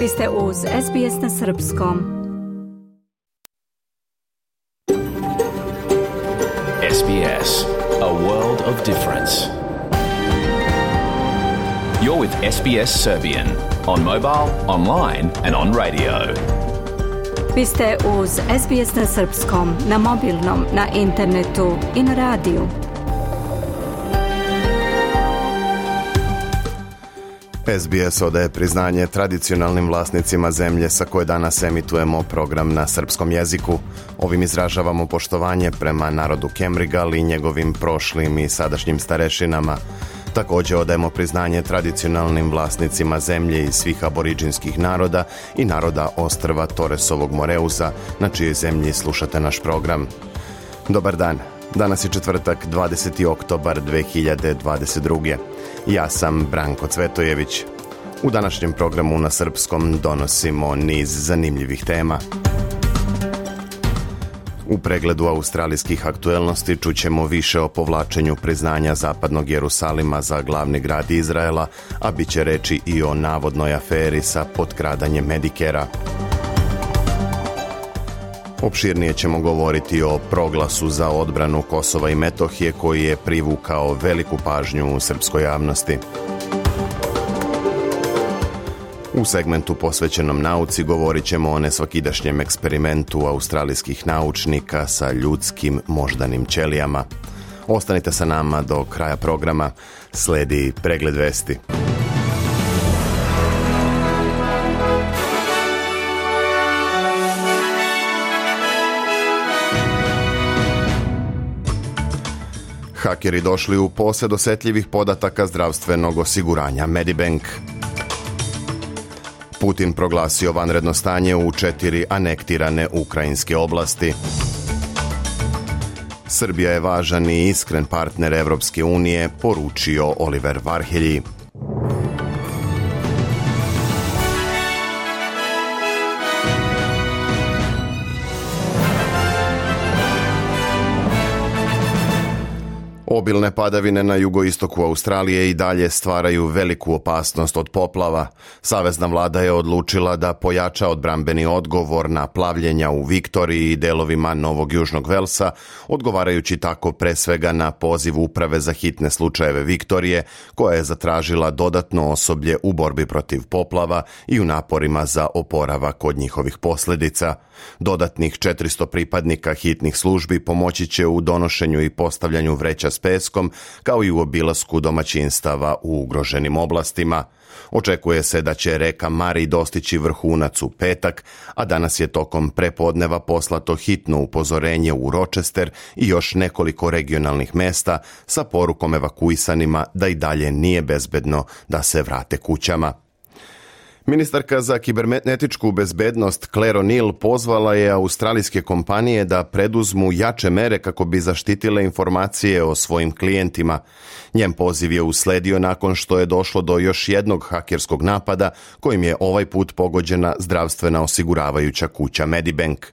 Vi ste uz SBS na srpskom. SBS, a world of difference. You're with SBS Serbian on mobile, online and on radio. Vi ste uz SBS na srpskom, na mobilnom, na internetu i na radiju. SBS odaje priznanje tradicionalnim vlasnicima zemlje sa koje danas emitujemo program na srpskom jeziku. Ovim izražavamo poštovanje prema narodu Kemrigal i njegovim prošlim i sadašnjim starešinama. Također odajemo priznanje tradicionalnim vlasnicima zemlje i svih aboriđinskih naroda i naroda ostrva Torresovog Moreuza, na čijoj zemlji slušate naš program. Dobar dan. Danas je četvrtak, 20. oktobar 2022. Ja sam Branko Cvetojević. U današnjem programu na srpskom donosimo niz zanimljivih tema. U pregledu australijskih aktuelnosti čućemo više o povlačenju priznanja Zapadnog Jerusalima za glavni grad Izraela, a bit će reći i o navodnoj aferi sa potkradanjem Medikera. Opširnije ćemo govoriti o proglasu za odbranu Kosova i Metohije koji je privukao veliku pažnju u srpskoj javnosti. U segmentu posvećenom nauci govorit ćemo o nesvakidašnjem eksperimentu australijskih naučnika sa ljudskim moždanim ćelijama. Ostanite sa nama do kraja programa, sledi pregled vesti. Hakeri došli u posjed osjetljivih podataka zdravstvenog osiguranja Medibank. Putin proglasio vanredno stanje u 4 anektirane ukrajinske oblasti. Srbija je važan i iskren partner Evropske unije, poručio Oliver Varhelyi. Obilne padavine na jugoistoku Australije i dalje stvaraju veliku opasnost od poplava. Savezna vlada je odlučila da pojača odbrambeni odgovor na plavljenja u Viktoriji i delovima Novog Južnog Velsa, odgovarajući tako pre svega na poziv Uprave za hitne slučajeve Viktorije, koja je zatražila dodatno osoblje u borbi protiv poplava i u naporima za oporavak od njihovih posljedica. Dodatnih 400 pripadnika hitnih službi pomoći će u donošenju i postavljanju vreća s peskom, kao i u obilasku domaćinstava u ugroženim oblastima. Očekuje se da će reka Mari dostići vrhunac u petak, a danas je tokom prepodneva poslato hitno upozorenje u Rochester i još nekoliko regionalnih mesta sa porukom evakuisanima da i dalje nije bezbedno da se vrate kućama. Ministarka za kibernetičku bezbednost Claire O'Neil pozvala je australijske kompanije da preduzmu jače mere kako bi zaštitile informacije o svojim klijentima. Njen poziv je usledio nakon što je došlo do još jednog hakerskog napada kojim je ovaj put pogođena zdravstvena osiguravajuća kuća Medibank.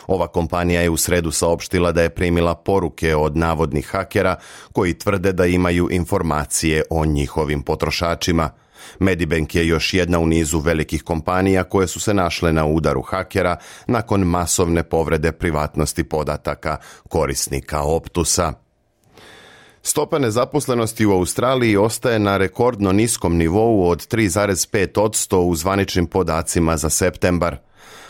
Ova kompanija je u sredu saopštila da je primila poruke od navodnih hakera koji tvrde da imaju informacije o njihovim potrošačima. Medibank je još jedna u nizu velikih kompanija koje su se našle na udaru hakera nakon masovne povrede privatnosti podataka korisnika Optusa. Stopa nezaposlenosti u Australiji ostaje na rekordno niskom nivou od 3,5% u zvaničnim podacima za septembar.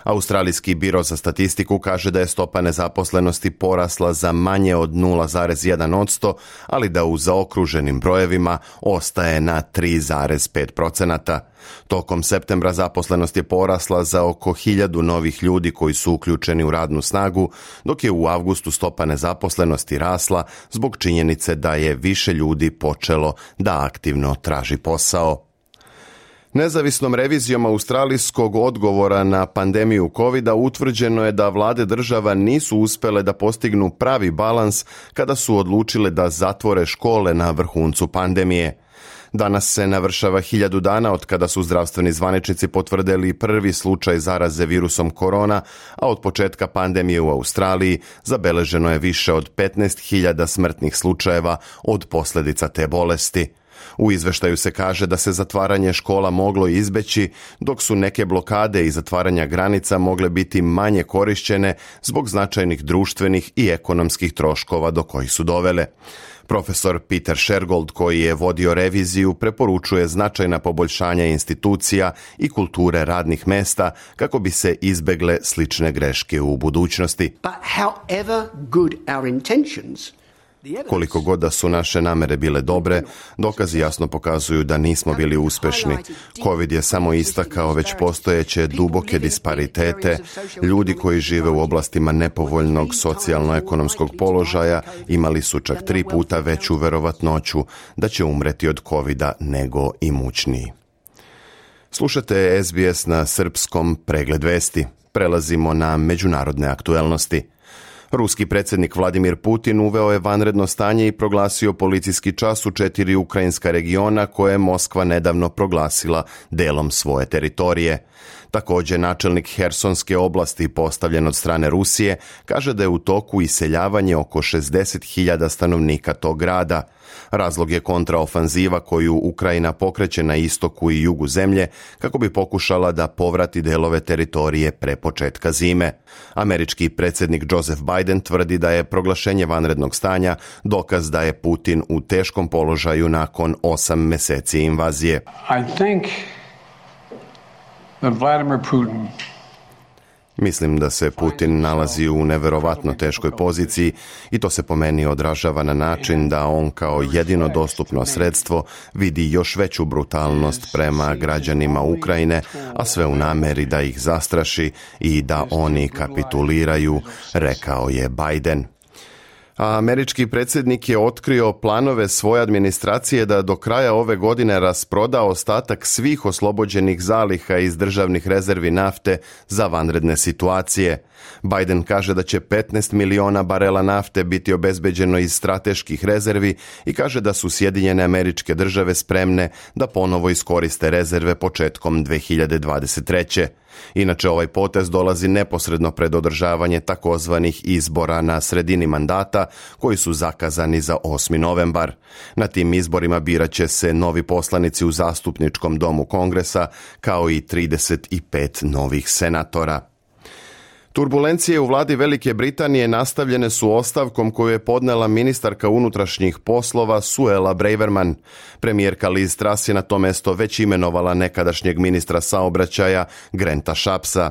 Australijski biro za statistiku kaže da je stopa nezaposlenosti porasla za manje od 0,1%, ali da u zaokruženim brojevima ostaje na 3,5%. Tokom septembra zaposlenost je porasla za oko 1000 novih ljudi koji su uključeni u radnu snagu, dok je u avgustu stopa nezaposlenosti rasla zbog činjenice da je više ljudi počelo da aktivno traži posao. Nezavisnom revizijom australijskog odgovora na pandemiju covida utvrđeno je da vlade država nisu uspjele da postignu pravi balans kada su odlučile da zatvore škole na vrhuncu pandemije. Danas se navršava 1000 dana od kada su zdravstveni zvaničnici potvrdili prvi slučaj zaraze virusom korona, a od početka pandemije u Australiji zabeleženo je više od 15.000 smrtnih slučajeva od posljedica te bolesti. U izveštaju se kaže da se zatvaranje škola moglo izbeći, dok su neke blokade i zatvaranja granica mogle biti manje korišćene zbog značajnih društvenih i ekonomskih troškova do kojih su dovele. Profesor Peter Shergold, koji je vodio reviziju, preporučuje značajna poboljšanja institucija i kulture radnih mesta kako bi se izbegle slične greške u budućnosti. But however good our intentions, koliko god da su naše namere bile dobre, dokazi jasno pokazuju da nismo bili uspešni. COVID je samo istakao već postojeće duboke disparitete. Ljudi koji žive u oblastima nepovoljnog socijalno-ekonomskog položaja imali su čak 3 puta veću verovatnoću da će umreti od COVID-a nego imućniji. Slušate SBS na srpskom Pregled vesti. Prelazimo na međunarodne aktuelnosti. Ruski predsjednik Vladimir Putin uveo je vanredno stanje i proglasio policijski čas u 4 ukrajinska regiona koje je Moskva nedavno proglasila delom svoje teritorije. Također, načelnik Hersonske oblasti, postavljen od strane Rusije, kaže da je u toku iseljavanje oko 60.000 stanovnika tog grada. Razlog je kontraofanziva koju Ukrajina pokreće na istoku i jugu zemlje kako bi pokušala da povrati delove teritorije pre početka zime. Američki predsjednik Joseph Biden tvrdi da je proglašenje vanrednog stanja dokaz da je Putin u teškom položaju nakon 8 meseci invazije. Mislim da se Putin nalazi u neverovatno teškoj poziciji i to se po meni odražava na način da on kao jedino dostupno sredstvo vidi još veću brutalnost prema građanima Ukrajine, a sve u nameri da ih zastraši i da oni kapituliraju, rekao je Biden. A američki predsjednik je otkrio planove svoje administracije da do kraja ove godine rasproda ostatak svih oslobođenih zaliha iz državnih rezervi nafte za vanredne situacije. Biden kaže da će 15 miliona barela nafte biti obezbeđeno iz strateških rezervi i kaže da su Sjedinjene Američke Države spremne da ponovo iskoriste rezerve početkom 2023. Inače, ovaj potez dolazi neposredno pred održavanje takozvanih izbora na sredini mandata, koji su zakazani za 8. novembar. Na tim izborima birat će se novi poslanici u zastupničkom domu Kongresa, kao i 35 novih senatora. Turbulencije u vladi Velike Britanije nastavljene su ostavkom koju je podnela ministarka unutrašnjih poslova Suella Braverman. Premijerka Liz Truss je na to mesto već imenovala nekadašnjeg ministra saobraćaja Granta Shappsa.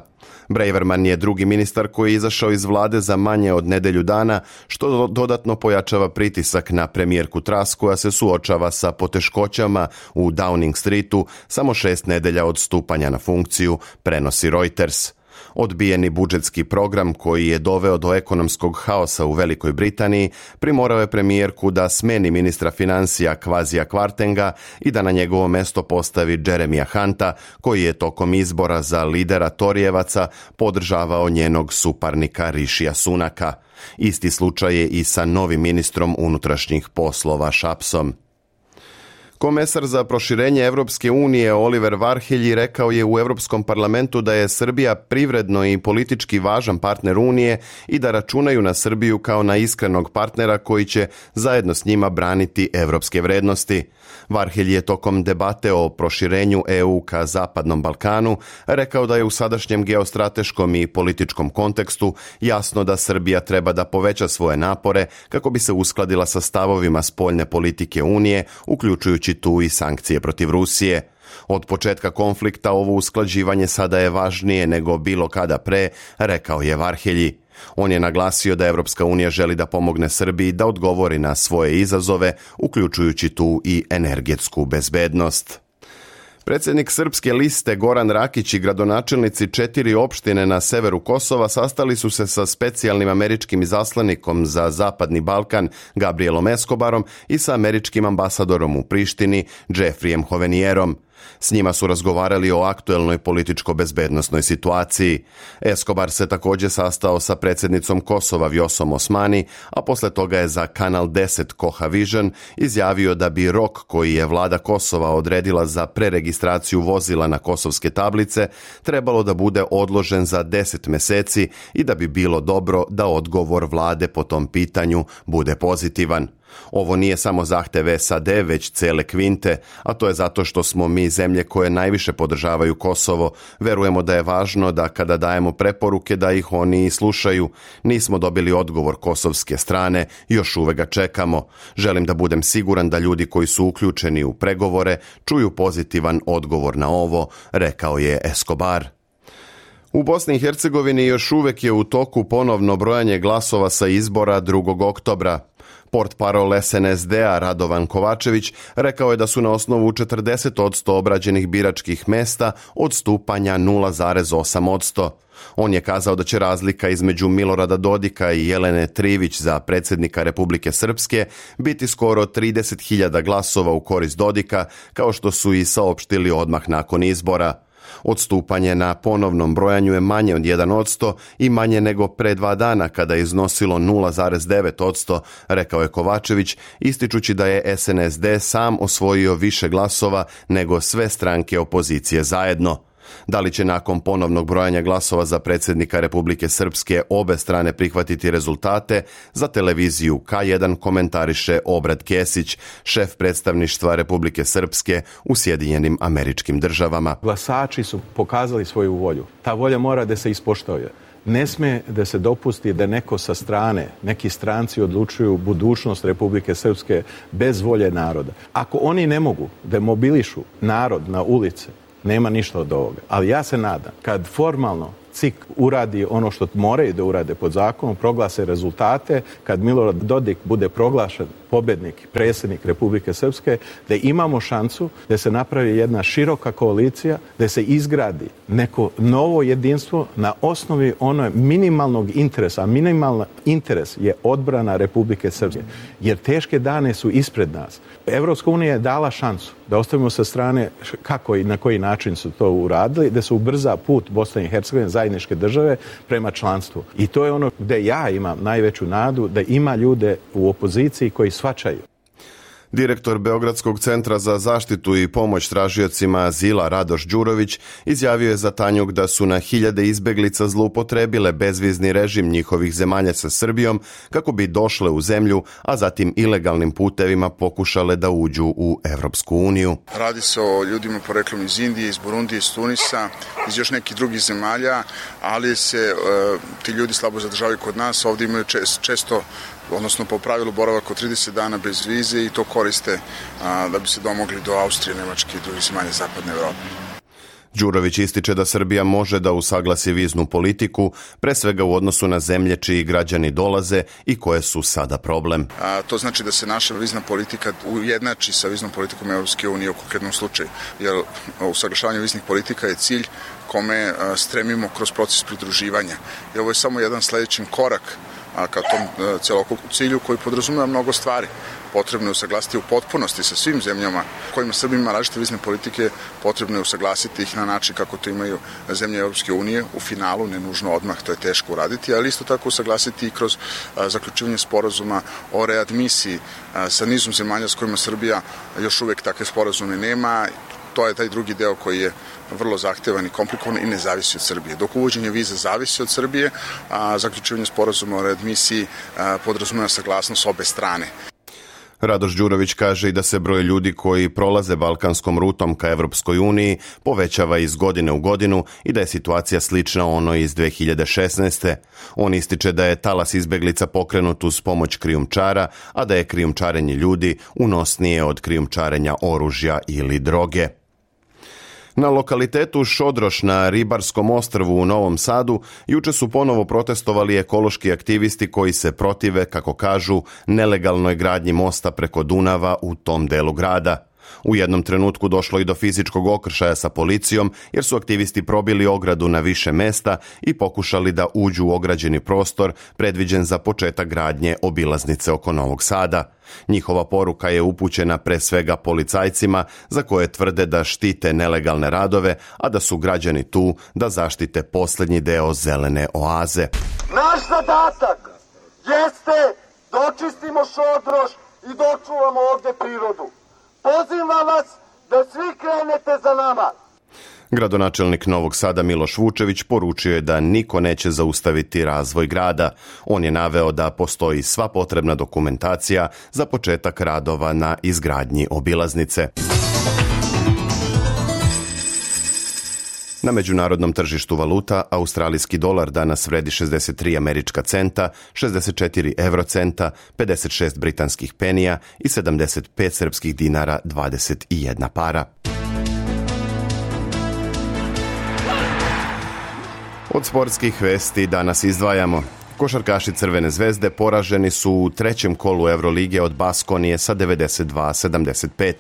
Braverman je drugi ministar koji je izašao iz vlade za manje od nedelju dana, što dodatno pojačava pritisak na premijerku Truss koja se suočava sa poteškoćama u Downing Streetu samo 6 nedelja od stupanja na funkciju, prenosi Reuters. Odbijeni budžetski program koji je doveo do ekonomskog haosa u Velikoj Britaniji primorao je premijerku da smeni ministra financija Kwasija Kwartenga i da na njegovo mesto postavi Jeremija Hunta, koji je tokom izbora za lidera Torijevaca podržavao njenog suparnika Rishija Sunaka. Isti slučaj je i sa novim ministrom unutrašnjih poslova Shappsom. Komesar za proširenje Evropske unije Oliver Varhelyi rekao je u Europskom parlamentu da je Srbija privredno i politički važan partner Unije i da računaju na Srbiju kao na iskrenog partnera koji će zajedno s njima braniti evropske vrednosti. Varhelyi je tokom debate o proširenju EU ka Zapadnom Balkanu rekao da je u sadašnjem geostrateškom i političkom kontekstu jasno da Srbija treba da poveća svoje napore kako bi se uskladila sa stavovima spoljne politike Unije, uključujući tu i sankcije protiv Rusije. Od početka konflikta ovo usklađivanje sada je važnije nego bilo kada pre, rekao je Varhelyi. On je naglasio da Evropska unija želi da pomogne Srbiji da odgovori na svoje izazove, uključujući tu i energetsku bezbednost. Predsjednik Srpske liste Goran Rakić i gradonačelnici 4 opštine na severu Kosova sastali su se sa specijalnim američkim izaslanikom za Zapadni Balkan Gabrielom Escobarom i sa američkim ambasadorom u Prištini Jeffreyem Hovenierom. S njima su razgovarali o aktuelnoj političko-bezbednosnoj situaciji. Escobar se također sastao sa predsjednicom Kosova Vjosom Osmani, a posle toga je za Kanal 10 Koha Vision izjavio da bi rok koji je vlada Kosova odredila za preregistraciju vozila na kosovske tablice trebalo da bude odložen za 10 meseci i da bi bilo dobro da odgovor vlade po tom pitanju bude pozitivan. Ovo nije samo zahtev SAD, već cele kvinte, a to je zato što smo mi zemlje koje najviše podržavaju Kosovo. Verujemo da je važno da kada dajemo preporuke da ih oni i slušaju. Nismo dobili odgovor kosovske strane, još uvek ga čekamo. Želim da budem siguran da ljudi koji su uključeni u pregovore čuju pozitivan odgovor na ovo, rekao je Escobar. U Bosni i Hercegovini još uvek je u toku ponovno brojanje glasova sa izbora 2. oktobra. Portparol SNSD-a Radovan Kovačević rekao je da su na osnovu 40% obrađenih biračkih mesta odstupanja 0,8%. On je kazao da će razlika između Milorada Dodika i Jelene Trivić za predsjednika Republike Srpske biti skoro 30.000 glasova u korist Dodika, kao što su i saopštili odmah nakon izbora. Odstupanje na ponovnom brojanju je manje od 1% i manje nego pre 2 dana kada je iznosilo 0,9%, rekao je Kovačević, ističući da je SNSD sam osvojio više glasova nego sve stranke opozicije zajedno. Da li će nakon ponovnog brojanja glasova za predsjednika Republike Srpske obe strane prihvatiti rezultate, za televiziju K1 komentariše Obrad Kesić, šef predstavništva Republike Srpske u Sjedinjenim Američkim Državama. Glasači su pokazali svoju volju. Ta volja mora da se ispoštuje. Ne sme da se dopusti da neko sa strane, neki stranci odlučuju budućnost Republike Srpske bez volje naroda. Ako oni ne mogu da mobilišu narod na ulice, nema ništa od ovoga. Ali ja se nadam, kad formalno CIK uradi ono što moraju da urade pod zakonom, proglase rezultate, kad Milorad Dodik bude proglašen pobednik, predsjednik Republike Srpske, da imamo šansu da se napravi jedna široka koalicija, da se izgradi neko novo jedinstvo na osnovi onog minimalnog interesa. A minimalni interes je odbrana Republike Srpske. Jer teške dane su ispred nas. Evropska unija je dala šansu da ostavimo sa strane kako i na koji način su to uradili, da se ubrza put Bosne i Hercegovine, zajedničke države, prema članstvu. I to je ono gde ja imam najveću nadu, da ima ljude u opoziciji koji shvaćaju. Direktor Beogradskog centra za zaštitu i pomoć tražiocima azila Radoš Đurović izjavio je za Tanjug da su na hiljade izbeglica zloupotrebile bezvizni režim njihovih zemalja sa Srbijom kako bi došle u zemlju, a zatim ilegalnim putevima pokušale da uđu u Evropsku uniju. Radi se o ljudima poreklom iz Indije, iz Burundije, iz Tunisa, iz još nekih drugih zemalja, ali se ti ljudi slabo zadržavaju kod nas. Ovdje imaju često, odnosno po pravilu, boravak od 30 dana bez vize i to koriste da bi se domogli do Austrije, Nemačke i drugih zemalja zapadne Evrope. Đurović ističe da Srbija može da usaglasi viznu politiku, pre svega u odnosu na zemlje čiji građani dolaze i koje su sada problem. To znači da se naša vizna politika ujednači sa viznom politikom Evropske unije u konkretnom slučaju, jer usaglašavanje viznih politika je cilj kome stremimo kroz proces pridruživanja. I ovo je samo jedan sledeći korak ka tom celokupnom cilju koji podrazumeva mnogo stvari. Potrebno je usaglasiti u potpunosti sa svim zemljama kojima Srbija ima različite vizne politike, potrebno je usaglasiti ih na način kako to imaju zemlje Evropske unije, u finalu, ne nužno odmah, to je teško uraditi, ali isto tako usaglasiti i kroz zaključivanje sporazuma o readmisiji sa nizom zemalja s kojima Srbija još uvek takve sporazume nema. To je taj drugi deo koji je vrlo zahtevan i komplikovan i ne zavisi od Srbije. Dok uvođenje viza zavisi od Srbije, zaključivanje sporazuma o readmisiji podrazumeva saglasnost obe strane. Radoš Đurović kaže i da se broj ljudi koji prolaze balkanskom rutom ka Evropskoj uniji povećava iz godine u godinu i da je situacija slična onoj iz 2016. On ističe da je talas izbeglica pokrenut uz pomoć krijumčara, a da je krijumčarenje ljudi unosnije od krijumčarenja oružja ili droge. Na lokalitetu Šodroš na Ribarskom ostrvu u Novom Sadu juče su ponovo protestovali ekološki aktivisti koji se protive, kako kažu, nelegalnoj gradnji mosta preko Dunava u tom delu grada. U jednom trenutku došlo i do fizičkog okršaja sa policijom jer su aktivisti probili ogradu na više mesta i pokušali da uđu u ograđeni prostor predviđen za početak gradnje obilaznice oko Novog Sada. Njihova poruka je upućena pre svega policajcima za koje tvrde da štite nelegalne radove, a da su građani tu da zaštite posljednji deo zelene oaze. Naš zadatak jeste da očistimo Šodroš i da očuvamo ovdje prirodu. Pozivam vas da svi krenete za nama. Gradonačelnik Novog Sada Miloš Vučević poručio je da niko neće zaustaviti razvoj grada. On je naveo da postoji sva potrebna dokumentacija za početak radova na izgradnji obilaznice. Na međunarodnom tržištu valuta australijski dolar danas vredi 63 američka centa, 64 eurocenta, 56 britanskih penija i 75 srpskih dinara 21 para. Od sportskih vesti danas izdvajamo. Košarkaši Crvene zvezde poraženi su u trećem kolu Evrolige od Baskonije sa 92-75.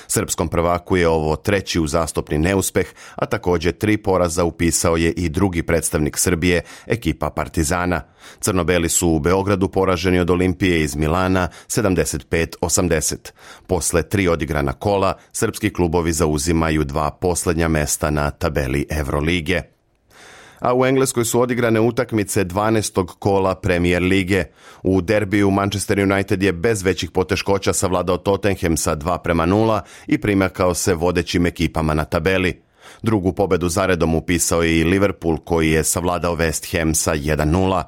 Srpskom prvaku je ovo treći uzastopni neuspeh, a također 3 poraza upisao je i drugi predstavnik Srbije, ekipa Partizana. Crnobeli su u Beogradu poraženi od Olimpije iz Milana 75-80. Posle 3 odigrana kola, srpski klubovi zauzimaju 2 posljednja mesta na tabeli Evrolige. A u Engleskoj su odigrane utakmice 12. kola Premier lige. U derbiju Manchester United je bez većih poteškoća savladao Tottenham sa 2-0 i primakao se vodećim ekipama na tabeli. Drugu pobedu zaredom upisao je i Liverpool koji je savladao West Ham sa 1-0.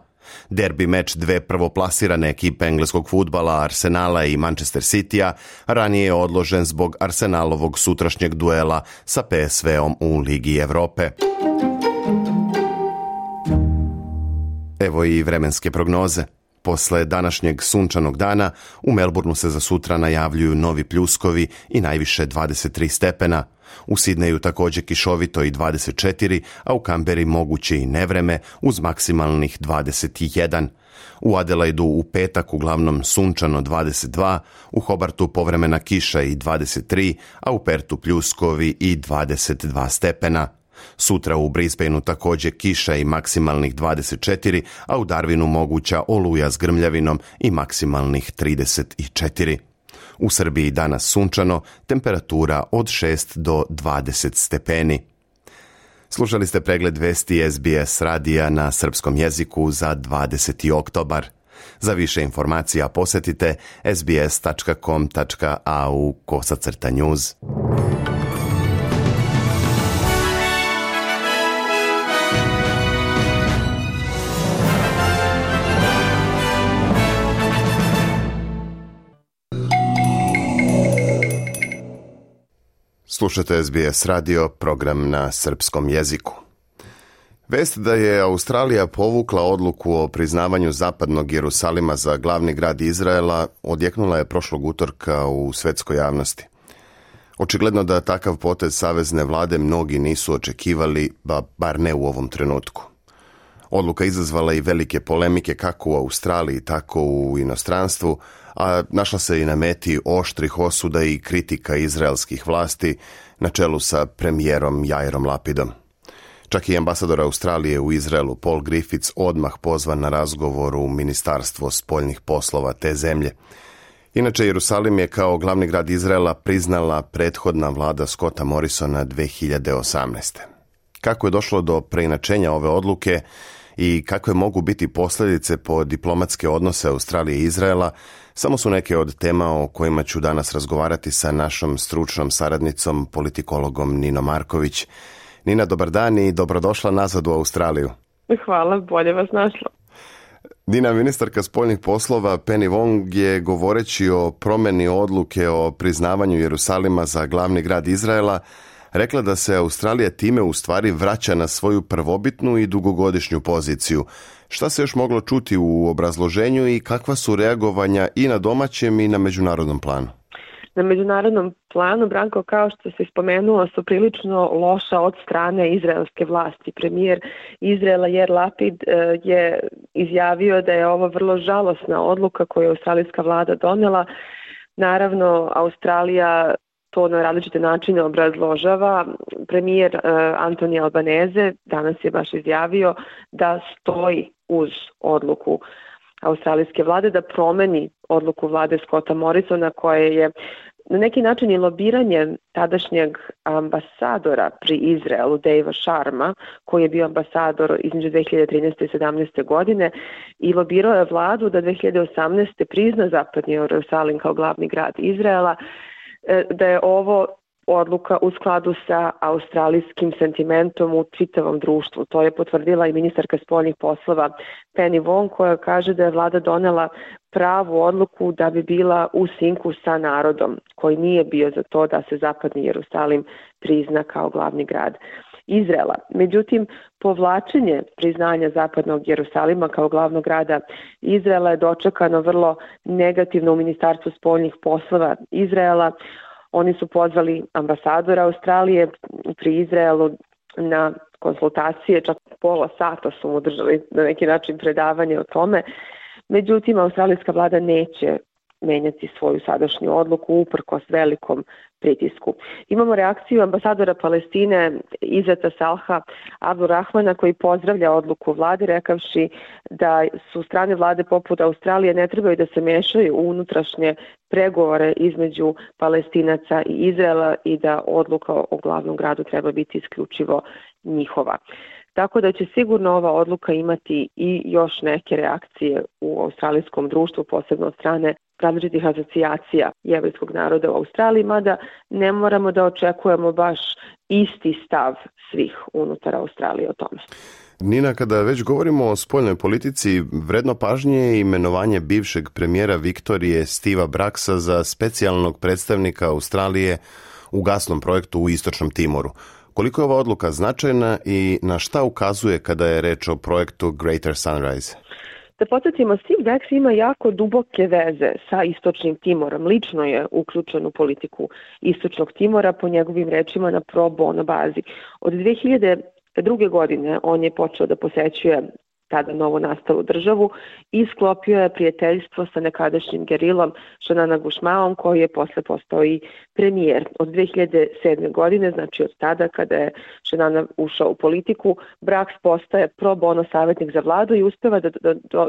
Derbi meč dve prvoplasirane ekipe engleskog fudbala Arsenala i Manchester Citya ranije je odložen zbog Arsenalovog sutrašnjeg duela sa PSV-om u Ligi Evrope. Evo i vremenske prognoze. Posle današnjeg sunčanog dana u Melbourneu se za sutra najavljuju novi pljuskovi i najviše 23 stepena. U Sidneju također kišovito i 24, a u Kamberi moguće i nevreme uz maksimalnih 21. U Adelaidu u petak uglavnom sunčano 22, u Hobartu povremena kiša i 23, a u Pertu pljuskovi i 22 stepena. Sutra u Brisbaneu također kiša i maksimalnih 24, a u Darwinu moguća oluja s grmljavinom i maksimalnih 34. U Srbiji danas sunčano, temperatura od 6 do 20 stepeni. Slušali ste pregled vesti SBS radija na srpskom jeziku za 20. oktobar. Za više informacija posjetite sbs.com.au/news. Slušate SBS radio, program na srpskom jeziku. Vest da je Australija povukla odluku o priznavanju zapadnog Jerusalima za glavni grad Izraela odjeknula je prošlog utorka u svetskoj javnosti. Očigledno da takav potez savezne vlade mnogi nisu očekivali, bar ne u ovom trenutku. Odluka izazvala i velike polemike kako u Australiji, tako u inostranstvu, a našla se i na meti oštrih osuda i kritika izraelskih vlasti na čelu sa premijerom Jairom Lapidom. Čak i ambasador Australije u Izraelu Paul Griffiths odmah pozvan na razgovor u Ministarstvo spoljnih poslova te zemlje. Inače, Jerusalim je kao glavni grad Izraela priznala prethodna vlada Scotta Morrisona 2018. Kako je došlo do preinačenja ove odluke i kakve mogu biti posljedice po diplomatske odnose Australije i Izraela, samo su neke od tema o kojima ću danas razgovarati sa našom stručnom saradnicom, politikologom Ninom Marković. Nina, dobar dan i dobrodošla nazad u Australiju. Hvala, bolje vas našla. Nina, ministarka spoljnih poslova Penny Wong je govoreći o promjeni odluke o priznavanju Jerusalima za glavni grad Izraela rekla da se Australija time u stvari vraća na svoju prvobitnu i dugogodišnju poziciju. Šta se još moglo čuti u obrazloženju i kakva su reagovanja i na domaćem i na međunarodnom planu? Na međunarodnom planu, Branko, kao što se spomenuo, su prilično loša od strane izraelske vlasti. Premijer Izraela Jair Lapid je izjavio da je ovo vrlo žalosna odluka koju je australijska vlada donela. Naravno, Australija to na različite načine obrazložava. Premijer Anthony Albanese danas je baš izjavio da stoji uz odluku australijske vlade da promeni odluku vlade Scotta Morrisona koja je na neki način i lobiranje tadašnjeg ambasadora pri Izraelu, Davea Sharma, koji je bio ambasador između 2013. i 2017. godine i lobirao je vladu da 2018. prizna zapadni Jerusalim kao glavni grad Izraela, da je ovo odluka u skladu sa australijskim sentimentom u čitavom društvu. To je potvrdila i ministarka spoljnih poslova Penny Wong, koja kaže da je vlada donela pravu odluku da bi bila u sinku sa narodom, koji nije bio za to da se zapadni Jerusalim prizna kao glavni grad Izraela. Međutim, povlačenje priznanja zapadnog Jerusalima kao glavnog grada Izraela je dočekano vrlo negativno u Ministarstvu spoljnih poslova Izraela. Oni su pozvali ambasadora Australije pri Izraelu na konsultacije, čak pola sata su mu držali na neki način predavanje o tome. Međutim, australijska vlada neće menjati svoju sadašnju odluku uprkos velikom pritisku. Imamo reakciju ambasadora Palestine Izeta Salha Abdurrahmana, koji pozdravlja odluku vlade, rekavši da su strane vlade poput Australije ne trebaju da se mešaju u unutrašnje pregovore između Palestinaca i Izraela i da odluka o glavnom gradu treba biti isključivo njihova. Tako da će sigurno ova odluka imati i još neke reakcije u australijskom društvu, posebno od strane različitih asocijacija jevrejskog naroda u Australiji, mada ne moramo da očekujemo baš isti stav svih unutar Australije o tome. Nina, kada već govorimo o spoljnoj politici, vredno pažnje je imenovanje bivšeg premijera Viktorije Steva Braxa za specijalnog predstavnika Australije u gasnom projektu u Istočnom Timoru. Koliko je ova odluka značajna i na šta ukazuje kada je reč o projektu Greater Sunrise? Da podsjetimo, Steve Brax ima jako duboke veze sa Istočnim Timorom. Lično je uključen u politiku Istočnog Timora, po njegovim rečima na pro bono bazi. Od 2002. godine on je počeo da posećuje tada novo nastalu državu i sklopio je prijateljstvo sa nekadašnjim gerilom Shanana Gushmaom, koji je posle postao i premijer. Od 2007. godine, znači od tada kada je Shanana ušao u politiku, Brax postaje pro bono savjetnik za vladu i uspeva da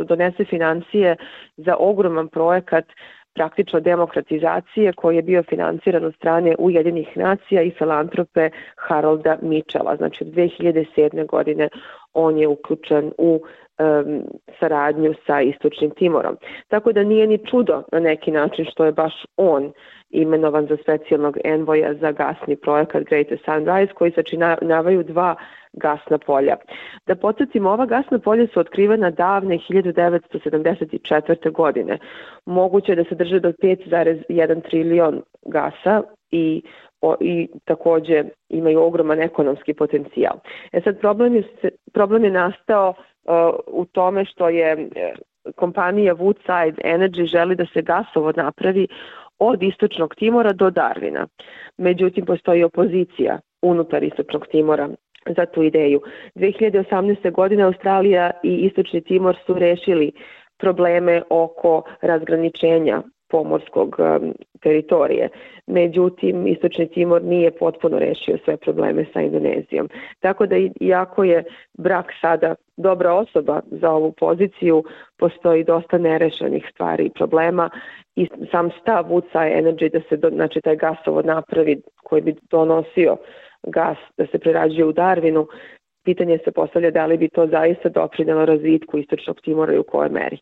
donese financije za ogroman projekat praktično demokratizacije koji je bio financiran od strane Ujedinjenih nacija i filantrope Harolda Mitchella. Znači od 2007. godine on je uključen u saradnju sa Istočnim Timorom. Tako da nije ni čudo na neki način što je baš on imenovan za specijalnog envoja za gasni projekat Greater Sunrise, koji sačinjavaju dva gasna polja. Da podsjetimo, ova gasna polja su otkrivena davne 1974. godine. Moguće je da se drže do 5,1 trilion gasa i takođe imaju ogroman ekonomski potencijal. Sad problem je nastao u tome što je kompanija Woodside Energy želi da se gasovod napravi od Istočnog Timora do Darwina. Međutim, postoji opozicija unutar Istočnog Timora za tu ideju. 2018. godine Australija i Istočni Timor su rešili probleme oko razgraničenja pomorskog teritorije. Međutim, Istočni Timor nije potpuno rešio sve probleme sa Indonezijom. Tako da, iako je Brax sada dobra osoba za ovu poziciju, postoji dosta nerešenih stvari i problema i sam stav Woodside Energy da se znači, taj gasovod napravi koji bi donosio gas da se prerađuje u Darwinu, pitanje se postavlja da li bi to zaista doprinelo razvitku Istočnog Timora i u kojoj meri.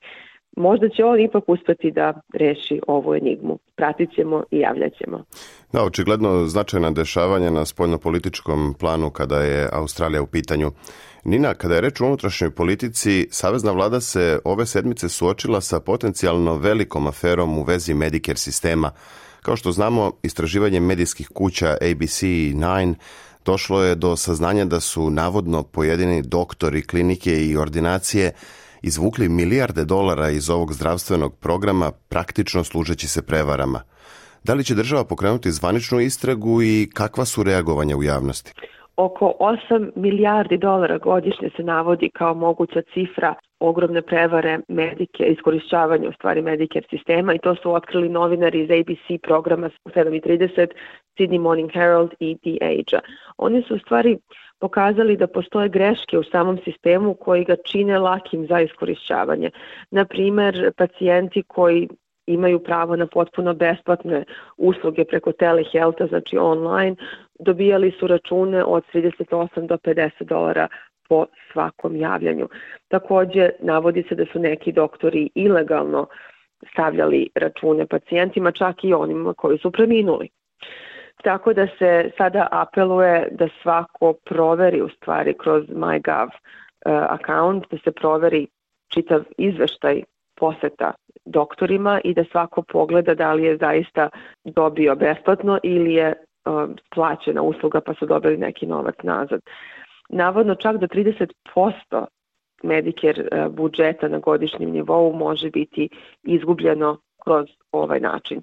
Možda će on ipak uspeti da reši ovu enigmu. Pratit ćemo i javljat ćemo. Da, očigledno značajna dešavanja na spoljnopolitičkom planu kada je Australija u pitanju. Nina, kada je reč o unutrašnjoj politici, savezna vlada se ove sedmice suočila sa potencijalno velikom aferom u vezi Medicare sistema. Kao što znamo, istraživanjem medijskih kuća ABC i Nine došlo je do saznanja da su navodno pojedini doktori, klinike i ordinacije izvukli milijarde dolara iz ovog zdravstvenog programa, praktično služeći se prevarama. Da li će država pokrenuti zvaničnu istragu i kakva su reagovanja u javnosti? Oko 8 milijardi dolara godišnje se navodi kao moguća cifra ogromne prevare iskorišćavanja u stvari Medicare sistema, i to su otkrili novinari iz ABC programa 7:30, Sydney Morning Herald i The Age-a. Oni su u stvari pokazali da postoje greške u samom sistemu koji ga čine lakim za iskorišćavanje. Na primer, pacijenti koji imaju pravo na potpuno besplatne usluge preko telehealtha, znači online, dobijali su račune od 38 do 50 dolara po svakom javljanju. Takođe, navodi se da su neki doktori ilegalno stavljali račune pacijentima, čak i onima koji su preminuli. Tako da se sada apeluje da svako proveri u stvari kroz MyGov account, da se proveri čitav izveštaj poseta doktorima i da svako pogleda da li je zaista dobio besplatno ili je plaćena usluga pa su dobili neki novac nazad. Navodno čak do 30% Medicare budžeta na godišnjem nivou može biti izgubljeno kroz ovaj način.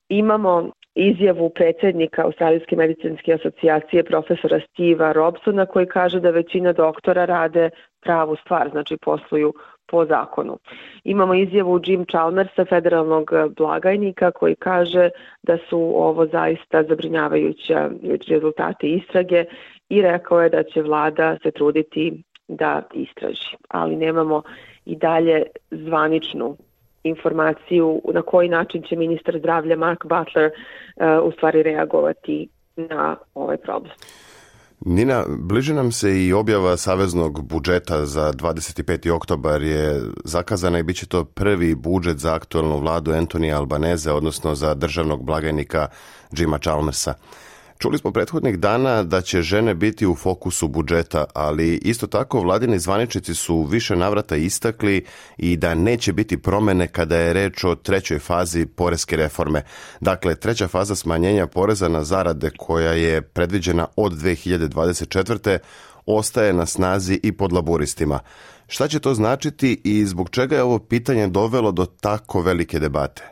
Imamo izjavu predsjednika Australijske medicinske asocijacije profesora Steva Robsona koji kaže da većina doktora rade pravu stvar, znači posluju po zakonu. Imamo izjavu Jim Chalmersa, federalnog blagajnika, koji kaže da su ovo zaista zabrinjavajući rezultati istrage i rekao je da će vlada se truditi da istraži. Ali nemamo i dalje zvaničnu informaciju na koji način će ministar zdravlja Mark Butler u stvari reagovati na ovaj problem. Nina, bliže nam se i objava saveznog budžeta za 25. oktobar je zakazana i bit će to prvi budžet za aktualnu vladu Antonija Albaneze, odnosno za državnog blagajnika Jima Chalmersa. Čuli smo prethodnih dana da će žene biti u fokusu budžeta, ali isto tako vladini zvaničnici su više navrata istakli i da neće biti promene kada je reč o trećoj fazi poreske reforme. Dakle, treća faza smanjenja poreza na zarade koja je predviđena od 2024. ostaje na snazi i pod laburistima. Šta će to značiti i zbog čega je ovo pitanje dovelo do tako velike debate?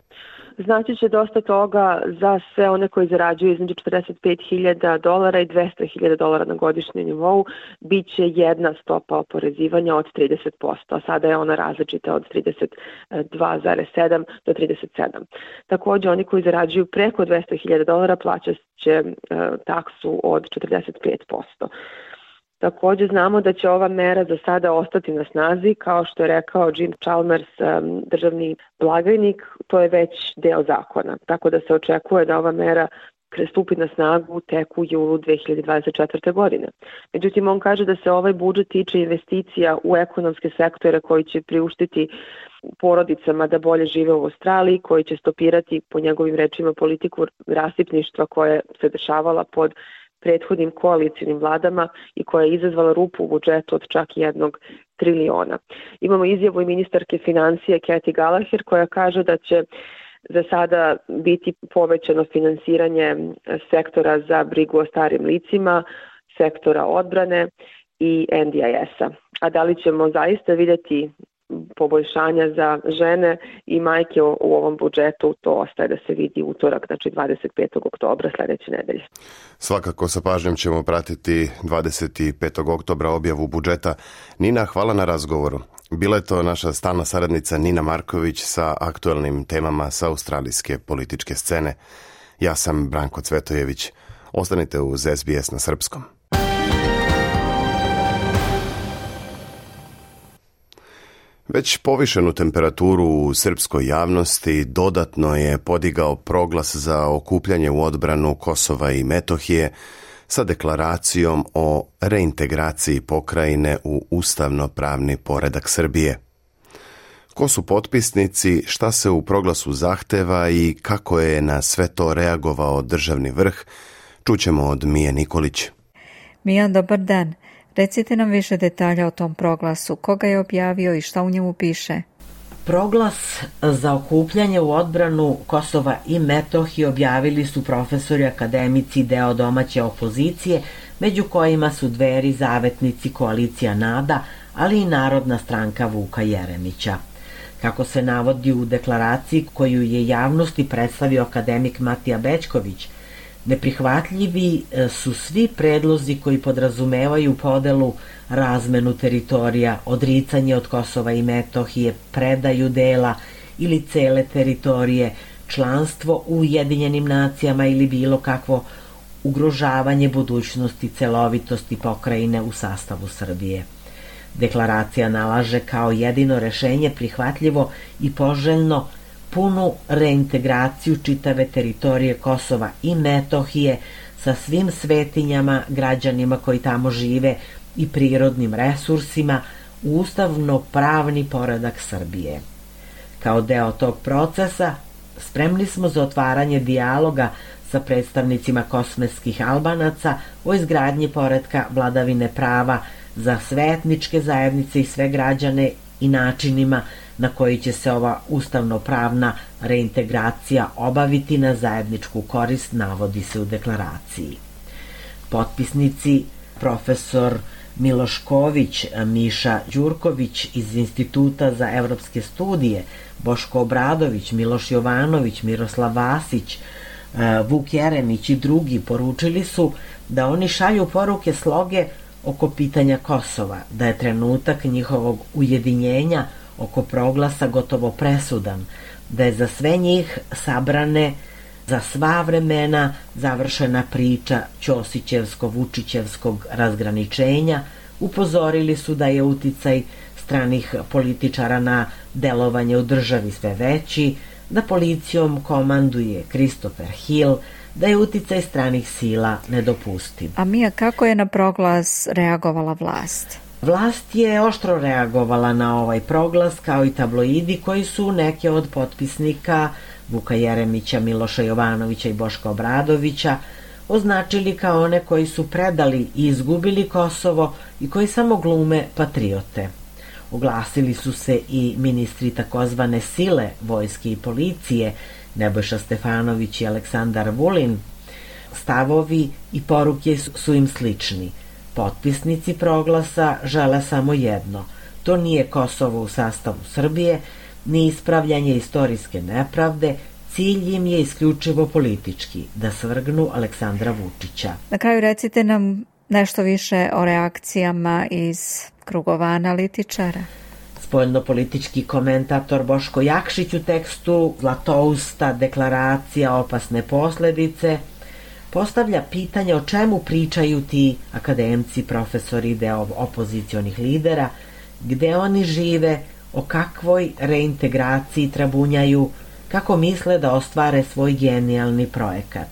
Znači će dosta toga za sve one koji zarađuju između $45,000 i $200,000 na godišnjem nivou. Biće jedna stopa oporezivanja od 30%, a sada je ona različita od 32,7 do 37. Također oni koji zarađuju preko $200,000 plaćat će taksu od 45%. Također znamo da će ova mera za sada ostati na snazi, kao što je rekao Jim Chalmers, državni blagajnik, to je već deo zakona, tako da se očekuje da ova mera stupi na snagu tek u julu 2024. godine. Međutim, on kaže da se ovaj budžet tiče investicija u ekonomske sektore koji će priuštiti porodicama da bolje žive u Australiji, koji će stopirati, po njegovim rečima, politiku rasipništva koja se dešavala pod prethodnim koalicijnim vladama i koja je izazvala rupu u budžetu od čak $1 triliona. Imamo izjavu i ministarke financije Kathy Gallagher koja kaže da će za sada biti povećano finansiranje sektora za brigu o starim licima, sektora odbrane i NDIS-a. A da li ćemo zaista vidjeti poboljšanja za žene i majke u ovom budžetu, to ostaje da se vidi utorak, znači 25. oktobra sljedeće nedelje. Svakako sa pažnjom ćemo pratiti 25. oktobra objavu budžeta. Nina, hvala na razgovoru. Bila je to naša stalna saradnica Nina Marković sa aktualnim temama sa australijske političke scene. Ja sam Branko Cvetojević. Ostanite uz SBS na srpskom. Već povišenu temperaturu u srpskoj javnosti dodatno je podigao proglas za okupljanje u odbranu Kosova i Metohije sa deklaracijom o reintegraciji pokrajine u ustavno-pravni poredak Srbije. Ko su potpisnici, šta se u proglasu zahteva i kako je na sve to reagovao državni vrh, čućemo od Mije Nikolić. Mija, dobar dan. Recite nam više detalja o tom proglasu. Koga je objavio i šta u njemu piše? Proglas za okupljanje u odbranu Kosova i Metohije objavili su profesori, akademici, deo domaće opozicije, među kojima su Dveri, Zavetnici, Koalicija NADA, ali i Narodna stranka Vuka Jeremića. Kako se navodi u deklaraciji koju je javnosti predstavio akademik Matija Bećković, neprihvatljivi su svi predlozi koji podrazumevaju podelu, razmenu teritorija, odricanje od Kosova i Metohije, predaju dela ili cele teritorije, članstvo u Ujedinjenim nacijama ili bilo kakvo ugrožavanje budućnosti, celovitosti pokrajine u sastavu Srbije. Deklaracija nalaže kao jedino rešenje prihvatljivo i poželjno punu reintegraciju čitave teritorije Kosova i Metohije sa svim svetinjama, građanima koji tamo žive i prirodnim resursima u ustavno-pravni poredak Srbije. Kao deo tog procesa spremni smo za otvaranje dijaloga sa predstavnicima kosmeskih Albanaca o izgradnji poretka vladavine prava za sve etničke zajednice i sve građane i načinima na koji će se ova ustavno-pravna reintegracija obaviti na zajedničku korist, navodi se u deklaraciji. Potpisnici profesor Miloš Ković, Miša Đurković iz Instituta za evropske studije, Boško Obradović, Miloš Jovanović, Miroslav Vasić, Vuk Jeremić i drugi poručili su da oni šalju poruke sloge oko pitanja Kosova, da je trenutak njihovog ujedinjenja oko proglasa gotovo presudan, da je za sve njih sabrane za sva vremena završena priča Ćosićevsko-Vučićevskog razgraničenja. Upozorili su da je uticaj stranih političara na delovanje u državi sve veći, da policijom komanduje Christopher Hill, da je uticaj stranih sila nedopustiv. A Mija, kako je na proglas reagovala vlast? Vlast je oštro reagovala na ovaj proglas, kao i tabloidi koji su neke od potpisnika Vuka Jeremića, Miloša Jovanovića i Boška Obradovića označili kao one koji su predali i izgubili Kosovo i koji samo glume patriote. Oglasili su se i ministri takozvane sile, vojske i policije, Nebojša Stefanović i Aleksandar Vulin. Stavovi i poruke su im slični. Potpisnici proglasa žele samo jedno. To nije Kosovo u sastavu Srbije, ni ispravljanje istorijske nepravde, cilj im je isključivo politički, da svrgnu Aleksandra Vučića. Na kraju recite nam nešto više o reakcijama iz krugova analitičara. Spoljnopolitički komentator Boško Jakšić u tekstu Zlatousta deklaracija opasne posledice postavlja pitanje o čemu pričaju ti akademci, profesori, deo opozicionih lidera, gde oni žive, o kakvoj reintegraciji trabunjaju, kako misle da ostvare svoj genijalni projekat.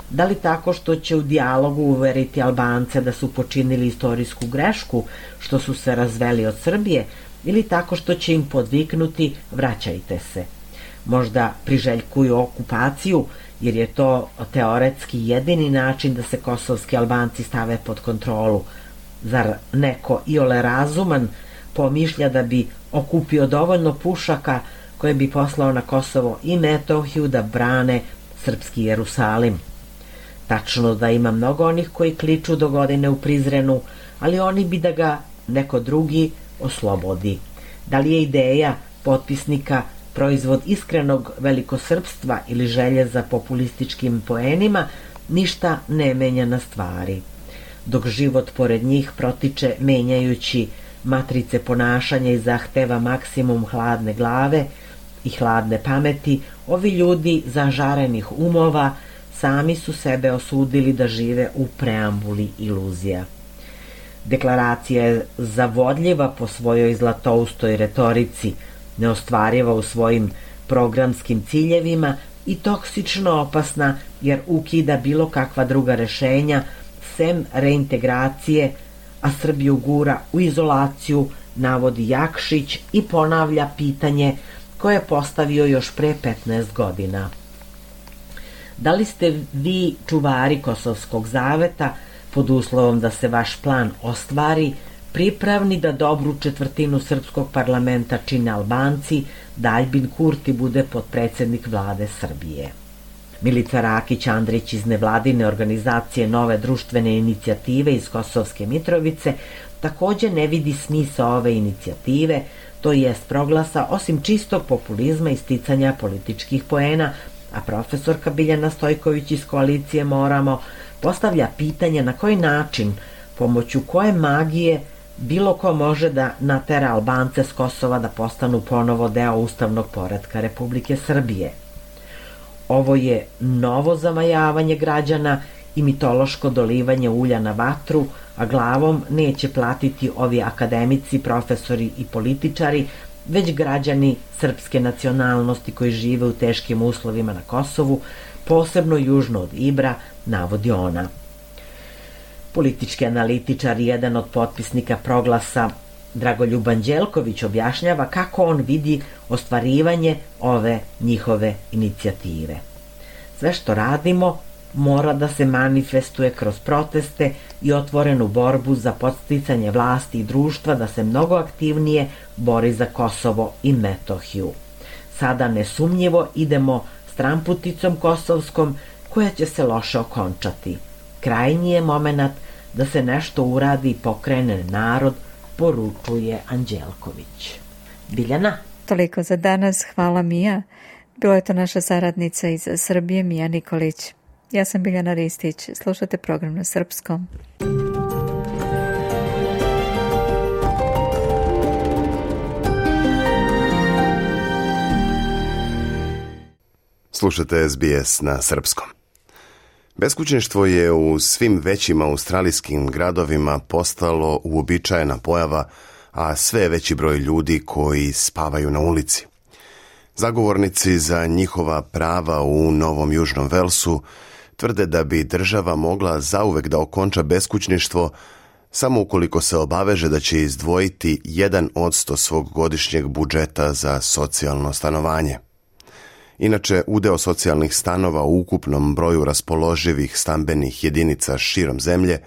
Da li tako što će u dijalogu uveriti Albance da su počinili istorijsku grešku, što su se razveli od Srbije, ili tako što će im podviknuti vraćajte se. Možda priželjkuju okupaciju, jer je to teoretski jedini način da se kosovski Albanci stave pod kontrolu. Zar neko iole razuman pomišlja da bi okupio dovoljno pušaka koje bi poslao na Kosovo i Metohiju da brane srpski Jerusalim? Tačno da ima mnogo onih koji kliču do godine u Prizrenu, ali oni bi da ga neko drugi oslobodi. Da li je ideja potpisnika proizvod iskrenog velikosrpstva ili želje za populističkim poenima, ništa ne menja na stvari. Dok život pored njih protiče menjajući matrice ponašanja i zahteva maksimum hladne glave i hladne pameti, ovi ljudi zažarenih umova sami su sebe osudili da žive u preambuli iluzija. Deklaracija je zavodljiva po svojoj zlatoustoj retorici, neostvariva u svojim programskim ciljevima i toksično opasna jer ukida bilo kakva druga rešenja sem reintegracije, a Srbiju gura u izolaciju, navodi Jakšić i ponavlja pitanje koje je postavio još pre 15 godina. Da li ste vi čuvari Kosovskog zaveta, pod uslovom da se vaš plan ostvari, pripravni da dobru četvrtinu srpskog parlamenta čine Albanci, da Aljbin Kurti bude potpredsednik vlade Srbije? Milica Rakić Andrić iz nevladine organizacije Nove društvene inicijative iz Kosovske Mitrovice takođe ne vidi smisao ove inicijative, to jest proglasa, osim čistog populizma i sticanja političkih poena, a profesorka Biljana Stojković iz koalicije Moramo postavlja pitanje na koji način, pomoću koje magije bilo ko može da natera Albance s Kosova da postanu ponovo deo ustavnog poretka Republike Srbije. Ovo je novo zamajavanje građana i mitološko dolivanje ulja na vatru, a glavom neće platiti ovi akademici, profesori i političari, već građani srpske nacionalnosti koji žive u teškim uslovima na Kosovu, posebno južno od Ibra, navodi ona. Politički analitičar i jedan od potpisnika proglasa Dragoljub Anđelković objašnjava kako on vidi ostvarivanje ove njihove inicijative. Sve što radimo mora da se manifestuje kroz proteste i otvorenu borbu za podsticanje vlasti i društva da se mnogo aktivnije bori za Kosovo i Metohiju. Sada nesumnjivo idemo stramputicom kosovskom koja će se loše okončati. Krajnji je moment da se nešto uradi i pokrene narod, poručuje Anđelković. Biljana? Toliko za danas, hvala Mija. Bila je to naša saradnica iz Srbije, Mija Nikolić. Ja sam Biljana Ristić, slušate program na srpskom. Slušate SBS na srpskom. Beskućništvo je u svim većim australijskim gradovima postalo uobičajena pojava, a sve veći broj ljudi koji spavaju na ulici. Zagovornici za njihova prava u Novom Južnom Velsu tvrde da bi država mogla zauvek da okonča beskućništvo samo ukoliko se obaveže da će izdvojiti 1% svog godišnjeg budžeta za socijalno stanovanje. Inače, udeo socijalnih stanova u ukupnom broju raspoloživih stambenih jedinica širom zemlje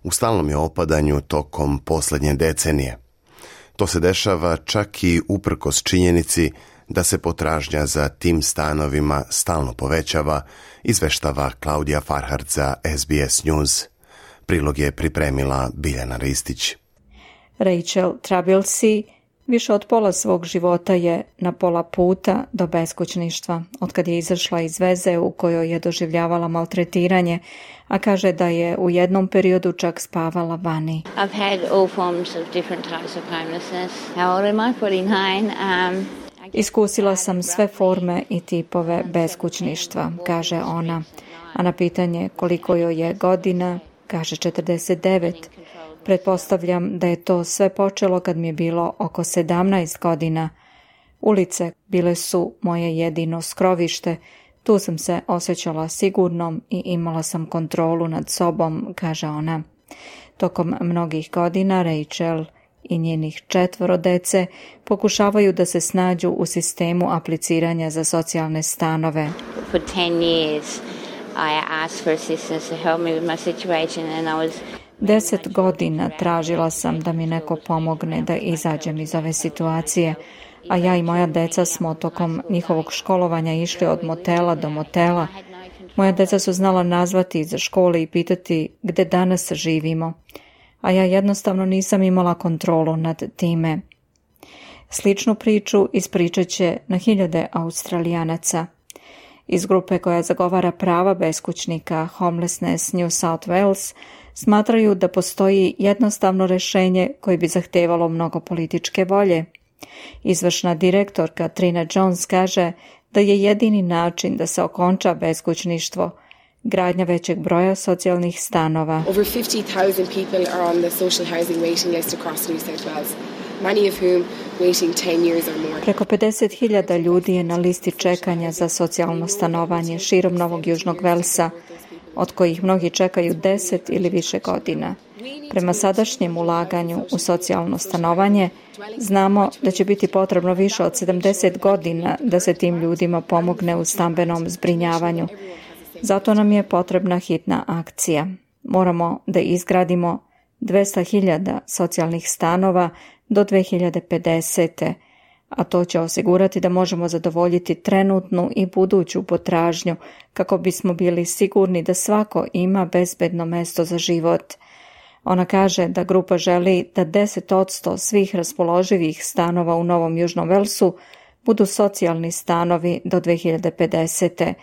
u stalnom je opadanju tokom posljednje decenije. To se dešava čak i uprkos činjenici da se potražnja za tim stanovima stalno povećava, izveštava Klaudija Farhard za SBS News. Prilog je pripremila Biljana Ristić. Rachel Trabilsi više od pola svog života je na pola puta do beskućništva, otkad je izašla iz veze u kojoj je doživljavala maltretiranje, a kaže da je u jednom periodu čak spavala vani. I've had all forms of different types of homelessness. How old am I? 49. Iskusila sam sve forme i tipove beskućništva, kaže ona, a na pitanje koliko joj je godina, kaže 49. Pretpostavljam da je to sve počelo kad mi je bilo oko 17 godina. Ulice bile su moje jedino skrovište, tu sam se osjećala sigurnom i imala sam kontrolu nad sobom, kaže ona. Tokom mnogih godina Rachel i njenih 4 dece pokušavaju da se snađu u sistemu apliciranja za socijalne stanove. For 10 years I asked for assistance to help me with my situation and I was 10 godina tražila sam da mi neko pomogne da izađem iz ove situacije, a ja i moja deca smo tokom njihovog školovanja išli od motela do motela. Moja deca su znala nazvati iza škole i pitati gde danas živimo, a ja jednostavno nisam imala kontrolu nad time. Sličnu priču ispričat će na hiljade Australijanaca. Iz grupe koja zagovara prava beskućnika Homelessness New South Wales smatraju da postoji jednostavno rešenje koje bi zahtevalo mnogo političke volje. Izvršna direktorka Trina Jones kaže da je jedini način da se okonča beskućništvo gradnja većeg broja socijalnih stanova. Over 50,000 people are on the social housing waiting list across New South Wales. Many of whom waiting 10 years or more. Preko 50,000 ljudi je na listi čekanja za socijalno stanovanje širom Novog Južnog Velsa, od kojih mnogi čekaju 10 ili više godina. Prema sadašnjem ulaganju u socijalno stanovanje, znamo da će biti potrebno više od 70 godina da se tim ljudima pomogne u stambenom zbrinjavanju. Zato nam je potrebna hitna akcija. Moramo da izgradimo 200,000 socijalnih stanova do 2050. A to će osigurati da možemo zadovoljiti trenutnu i buduću potražnju kako bismo bili sigurni da svako ima bezbedno mesto za život. Ona kaže da grupa želi da 10% svih raspoloživih stanova u Novom Južnom Velsu budu socijalni stanovi do 2050.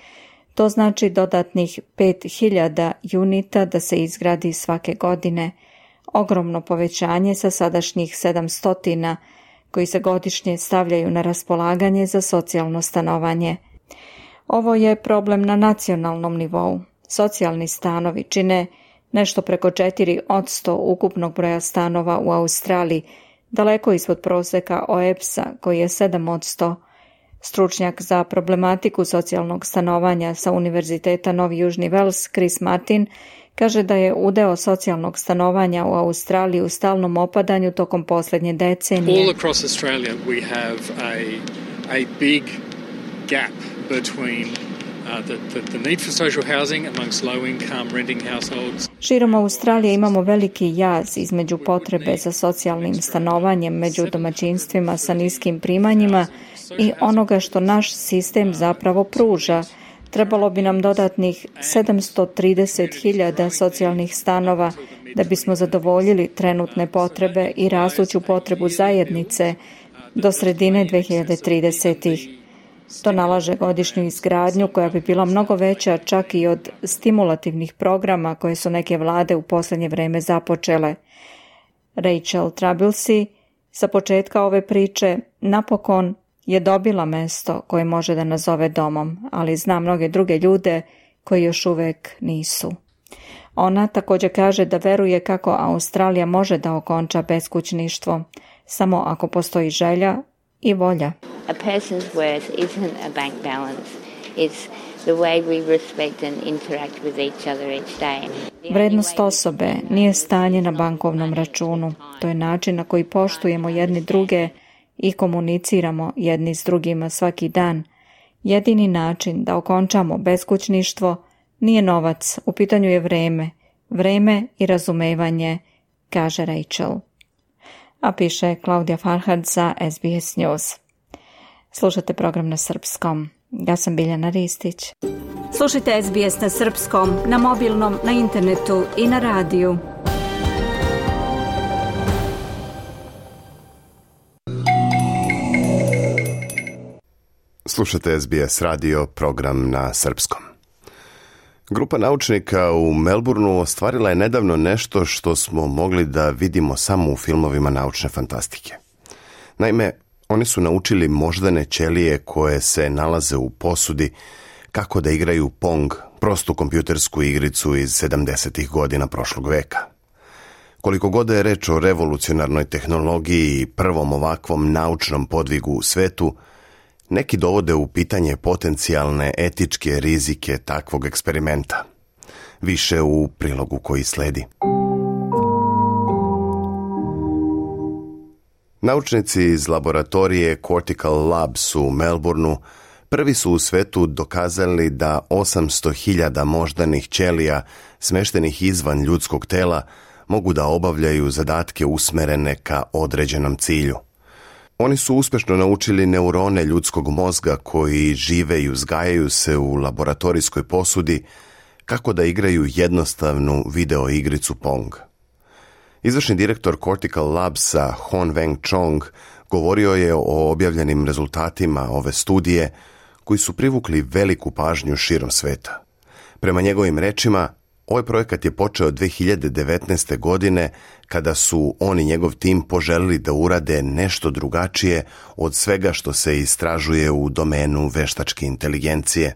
To znači dodatnih 5,000 unita da se izgradi svake godine. Ogromno povećanje sa sadašnjih 700 koji se godišnje stavljaju na raspolaganje za socijalno stanovanje. Ovo je problem na nacionalnom nivou. Socijalni stanovi čine nešto preko 4% ukupnog broja stanova u Australiji, daleko ispod proseka OEBS-a koji je 7%. Stručnjak za problematiku socijalnog stanovanja sa Univerziteta Novi Južni Vels, Chris Martin, kaže da je udeo socijalnog stanovanja u Australiji u stalnom opadanju tokom posljednje decenije. All across Australia we have a big gap between the need for social housing amongst low-income renting households. Širom Australije imamo veliki jaz između potrebe za socijalnim stanovanjem među domaćinstvima sa niskim primanjima i onoga što naš sistem zapravo pruža. Trebalo bi nam dodatnih 730.000 socijalnih stanova da bismo zadovoljili trenutne potrebe i rastuću potrebu zajednice do sredine 2030-ih. To nalaže godišnju izgradnju koja bi bila mnogo veća čak i od stimulativnih programa koje su neke vlade u posljednje vreme započele. Rachel Trabulsi sa početka ove priče napokon je dobila mesto koje može da nazove domom, ali zna mnoge druge ljude koji još uvek nisu. Ona također kaže da veruje kako Australija može da okonča beskućništvo, samo ako postoji želja i volja. A person's worth isn't a bank balance. It's the way we respect and interact with each other each day. Vrednost osobe nije stanje na bankovnom računu. To je način na koji poštujemo jedni druge i komuniciramo jedni s drugima svaki dan. Jedini način da okončamo beskućništvo nije novac, u pitanju je vreme i razumevanje, kaže Rachel. A piše Klaudija Farhad za SBS News. Slušate program na srpskom. Ja sam Biljana Ristić. Slušajte SBS na srpskom, na mobilnom, na internetu i na radiju. Slušate SBS radio, program na srpskom. Grupa naučnika u Melbourneu ostvarila je nedavno nešto što smo mogli da vidimo samo u filmovima naučne fantastike. Naime, oni su naučili moždane ćelije koje se nalaze u posudi kako da igraju Pong, prostu kompjutersku igricu iz 70. godina prošlog veka. Koliko god je reč o revolucionarnoj tehnologiji i prvom ovakvom naučnom podvigu u svetu, neki dovode u pitanje potencijalne etičke rizike takvog eksperimenta. Više u prilogu koji sledi. Naučnici iz laboratorije Cortical Labs u Melbourneu prvi su u svetu dokazali da 800.000 moždanih ćelija smeštenih izvan ljudskog tela mogu da obavljaju zadatke usmerene ka određenom cilju. Oni su uspješno naučili neurone ljudskog mozga koji žive i uzgajaju se u laboratorijskoj posudi kako da igraju jednostavnu video igricu Pong. Izvršni direktor Cortical Labsa Hon Weng Chong govorio je o objavljenim rezultatima ove studije koji su privukli veliku pažnju širom sveta. Prema njegovim rečima, ovaj projekat je počeo 2019. godine kada su on i njegov tim poželili da urade nešto drugačije od svega što se istražuje u domenu veštačke inteligencije.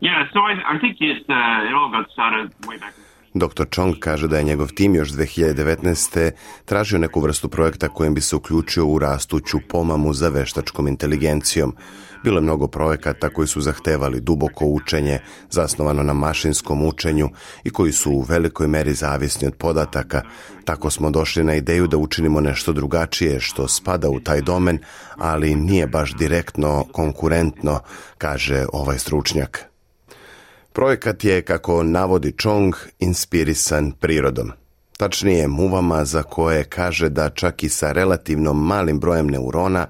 Dr. Chong kaže da je njegov tim još 2019. tražio neku vrstu projekta kojim bi se uključio u rastuću pomamu za veštačkom inteligencijom. Bilo je mnogo projekata koji su zahtevali duboko učenje, zasnovano na mašinskom učenju i koji su u velikoj meri zavisni od podataka. Tako smo došli na ideju da učinimo nešto drugačije što spada u taj domen, ali nije baš direktno konkurentno, kaže ovaj stručnjak. Projekat je, kako navodi Chong, inspirisan prirodom. Tačnije muvama za koje kaže da čak i sa relativno malim brojem neurona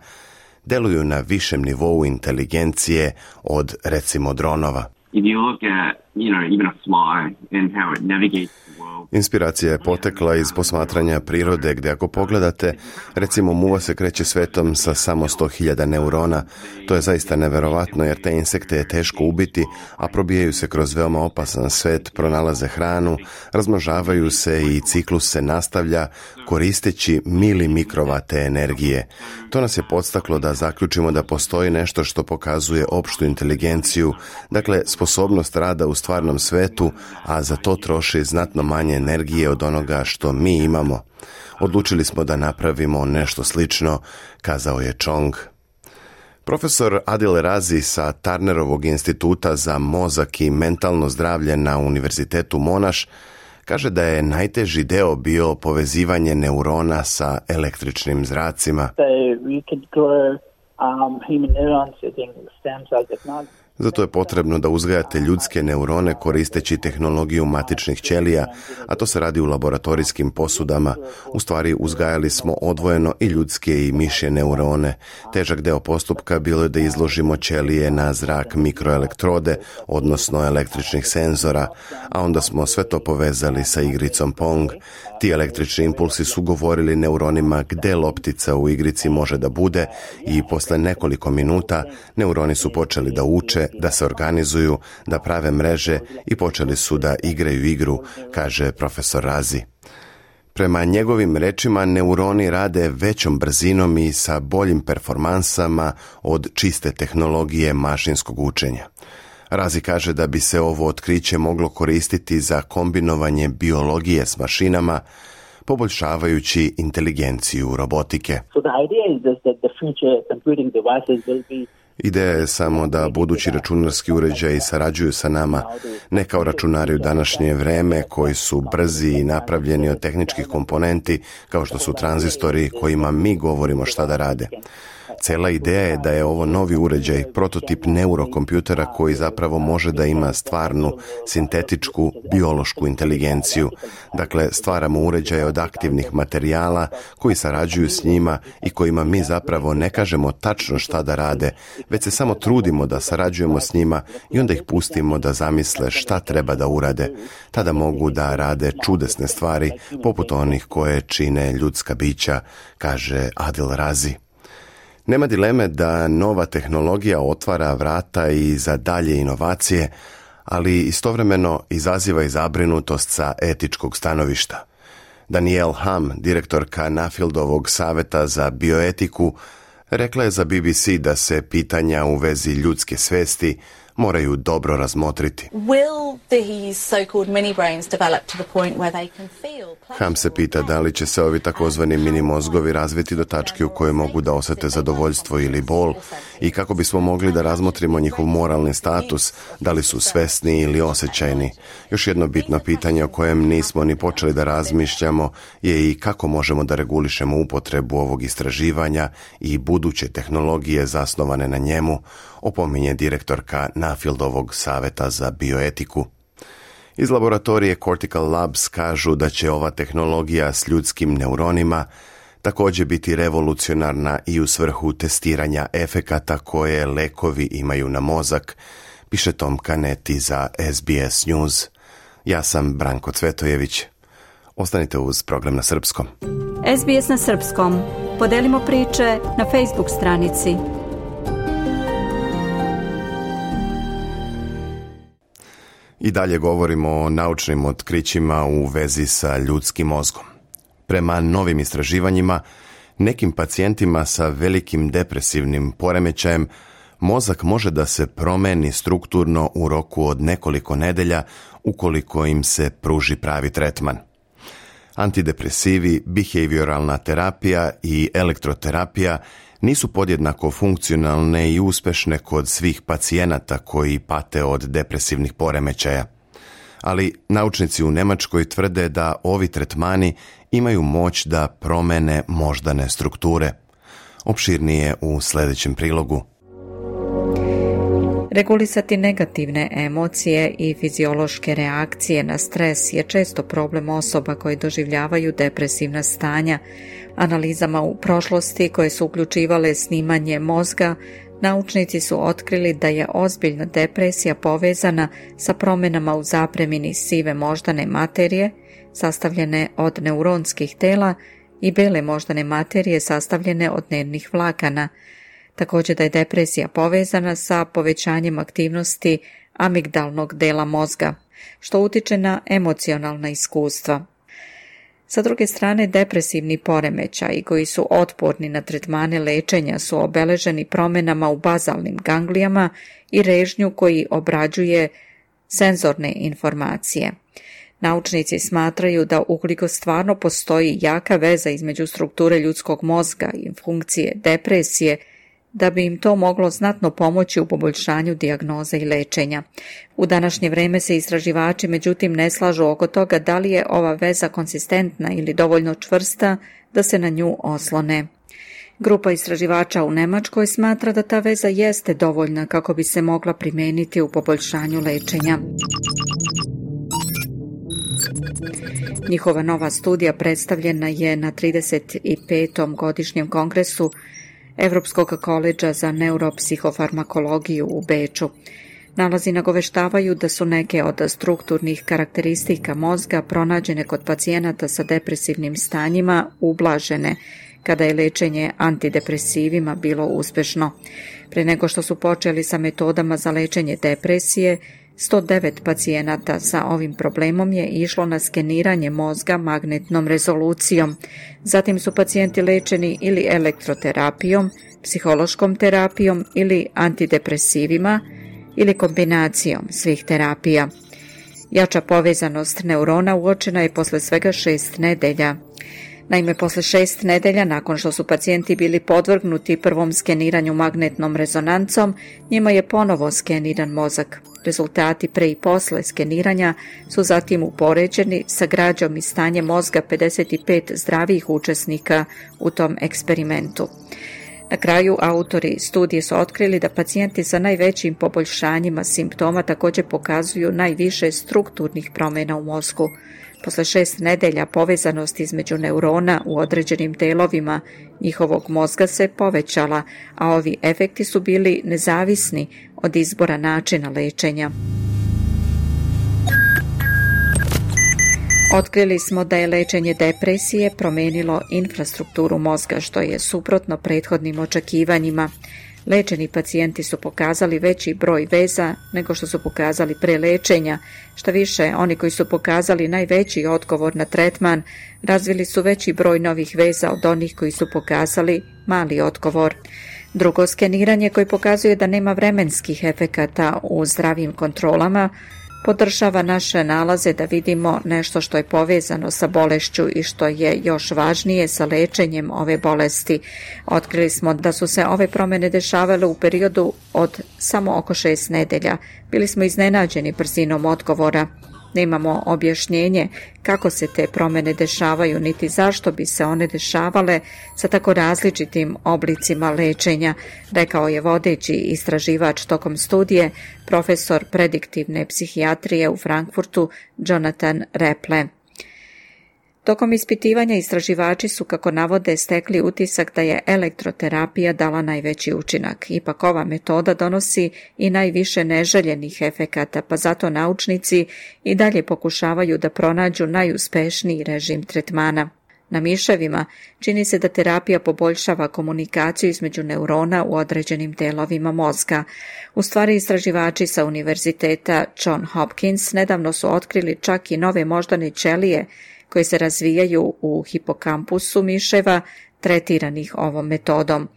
deluju na višem nivou inteligencije od, recimo, dronova. Inspiracija je potekla iz posmatranja prirode gdje ako pogledate, recimo muva se kreće svetom sa samo 100.000 neurona. To je zaista neverovatno jer te insekte je teško ubiti, a probijaju se kroz veoma opasan svet, pronalaze hranu, razmnožavaju se i ciklus se nastavlja koristeći milimikrovate energije. To nas je podstaklo da zaključimo da postoji nešto što pokazuje opštu inteligenciju, dakle sposobnost rada u stvarnom svetu, a za to troši znatno manje energije od onoga što mi imamo. Odlučili smo da napravimo nešto slično, kazao je Chong. Profesor Adil Razi sa Turnerovog instituta za mozak i mentalno zdravlje na Univerzitetu Monash kaže da je najteži deo bio povezivanje neurona sa električnim zracima. Zato je potrebno da uzgajate ljudske neurone koristeći tehnologiju matičnih ćelija, a to se radi u laboratorijskim posudama. U stvari uzgajali smo odvojeno i ljudske i mišje neurone. Težak deo postupka bilo je da izložimo ćelije na zrak mikroelektrode, odnosno električnih senzora, a onda smo sve to povezali sa igricom Pong. Ti električni impulsi su govorili neuronima gde loptica u igrici može da bude i posle nekoliko minuta neuroni su počeli da uče, da se organizuju, da prave mreže i počeli su da igraju igru, kaže profesor Razi. Prema njegovim rečima, neuroni rade većom brzinom i sa boljim performansama od čiste tehnologije mašinskog učenja. Razi kaže da bi se ovo otkriće moglo koristiti za kombinovanje biologije s mašinama, poboljšavajući inteligenciju robotike. Ideja je samo da budući računarski uređaji sarađuju sa nama, ne kao računari u današnje vreme koji su brzi i napravljeni od tehničkih komponenti kao što su tranzistori kojima mi govorimo šta da rade. Cela ideja je da je ovo novi uređaj, prototip neurokompjutera koji zapravo može da ima stvarnu, sintetičku, biološku inteligenciju. Dakle, stvaramo uređaje od aktivnih materijala koji sarađuju s njima i kojima mi zapravo ne kažemo tačno šta da rade, već se samo trudimo da sarađujemo s njima i onda ih pustimo da zamisle šta treba da urade. Tada mogu da rade čudesne stvari, poput onih koje čine ljudska bića, kaže Adil Razi. Nema dileme da nova tehnologija otvara vrata i za dalje inovacije, ali istovremeno izaziva i zabrinutost sa etičkog stanovišta. Danielle Ham, direktorka Nuffieldovog saveta za bioetiku, rekla je za BBC da se pitanja u vezi ljudske svesti moraju dobro razmotriti. Ham se pita da li će se ovi takozvani mini mozgovi razviti do tačke u kojoj mogu da osete zadovoljstvo ili bol i kako bismo mogli da razmotrimo njihov moralni status, da li su svesni ili osjećajni. Još jedno bitno pitanje o kojem nismo ni počeli da razmišljamo je i kako možemo da regulišemo upotrebu ovog istraživanja i buduće tehnologije zasnovane na njemu, opominje direktorka Nuffieldovog saveta za bioetiku. Iz laboratorije Cortical Labs kažu da će ova tehnologija s ljudskim neuronima također biti revolucionarna i u svrhu testiranja efekata koje lekovi imaju na mozak, piše Tom Kaneti za SBS News. Ja sam Branko Cvetojević. Ostanite uz program na srpskom. SBS na srpskom. Podelimo priče na Facebook stranici. I dalje govorimo o naučnim otkrićima u vezi sa ljudskim mozgom. Prema novim istraživanjima, nekim pacijentima sa velikim depresivnim poremećajem mozak može da se promeni strukturno u roku od nekoliko nedelja ukoliko im se pruži pravi tretman. Antidepresivi, behavioralna terapija i elektroterapija nisu podjednako funkcionalne i uspešne kod svih pacijenata koji pate od depresivnih poremećaja. Ali naučnici u Nemačkoj tvrde da ovi tretmani imaju moć da promene moždane strukture. Opširnije u sljedećem prilogu. Regulisati negativne emocije i fiziološke reakcije na stres je često problem osoba koji doživljavaju depresivna stanja. Analizama u prošlosti koje su uključivale snimanje mozga, naučnici su otkrili da je ozbiljna depresija povezana sa promjenama u zapremini sive moždane materije, sastavljene od neuronskih tela, i bele moždane materije sastavljene od nervnih vlakana. Također da je depresija povezana sa povećanjem aktivnosti amigdalnog dela mozga, što utiče na emocionalna iskustva. Sa druge strane, depresivni poremećaji koji su otporni na tretmane lečenja su obeleženi promjenama u bazalnim ganglijama i režnju koji obrađuje senzorne informacije. Naučnici smatraju da ukoliko stvarno postoji jaka veza između strukture ljudskog mozga i funkcije depresije, da bi im to moglo znatno pomoći u poboljšanju dijagnoze i lečenja. U današnje vrijeme se istraživači međutim ne slažu oko toga da li je ova veza konsistentna ili dovoljno čvrsta da se na nju oslone. Grupa istraživača u Nemačkoj smatra da ta veza jeste dovoljna kako bi se mogla primijeniti u poboljšanju lečenja. Njihova nova studija predstavljena je na 35. godišnjem kongresu Evropskog koledža za neuropsihofarmakologiju u Beču. Nalazi nagoveštavaju da su neke od strukturnih karakteristika mozga pronađene kod pacijenata sa depresivnim stanjima ublažene kada je lečenje antidepresivima bilo uspešno. Pre nego što su počeli sa metodama za lečenje depresije, 109 pacijenata sa ovim problemom je išlo na skeniranje mozga magnetnom rezolucijom. Zatim su pacijenti lečeni ili elektroterapijom, psihološkom terapijom ili antidepresivima ili kombinacijom svih terapija. Jača povezanost neurona uočena je posle svega 6 nedelja. Naime, posle 6 nedelja, nakon što su pacijenti bili podvrgnuti prvom skeniranju magnetnom rezonancom, njima je ponovo skeniran mozak. Rezultati pre i posle skeniranja su zatim upoređeni sa građom i stanjem mozga 55 zdravih učesnika u tom eksperimentu. Na kraju, autori studije su otkrili da pacijenti sa najvećim poboljšanjima simptoma također pokazuju najviše strukturnih promjena u mozgu. Posle 6 nedelja povezanost između neurona u određenim delovima njihovog mozga se povećala, a ovi efekti su bili nezavisni od izbora načina lečenja. Otkrili smo da je lečenje depresije promijenilo infrastrukturu mozga, što je suprotno prethodnim očekivanjima. Lečeni pacijenti su pokazali veći broj veza nego što su pokazali pre lečenja. Šta više, oni koji su pokazali najveći odgovor na tretman razvili su veći broj novih veza od onih koji su pokazali mali odgovor. Drugo skeniranje koje pokazuje da nema vremenskih efekata u zdravim kontrolama podržava naše nalaze da vidimo nešto što je povezano sa bolešću i što je još važnije sa lečenjem ove bolesti. Otkrili smo da su se ove promjene dešavale u periodu od samo oko 6 nedelja. Bili smo iznenađeni brzinom odgovora. Nemamo objašnjenje kako se te promjene dešavaju, niti zašto bi se one dešavale sa tako različitim oblicima lečenja, rekao je vodeći istraživač tokom studije, profesor prediktivne psihijatrije u Frankfurtu, Jonathan Reple. Tokom ispitivanja istraživači su, kako navode, stekli utisak da je elektroterapija dala najveći učinak. Ipak ova metoda donosi i najviše neželjenih efekata, pa zato naučnici i dalje pokušavaju da pronađu najuspešniji režim tretmana. Na miševima čini se da terapija poboljšava komunikaciju između neurona u određenim delovima mozga. U stvari, istraživači sa univerziteta John Hopkins nedavno su otkrili čak i nove moždane ćelije koje se razvijaju u hipokampusu miševa tretiranih ovom metodom.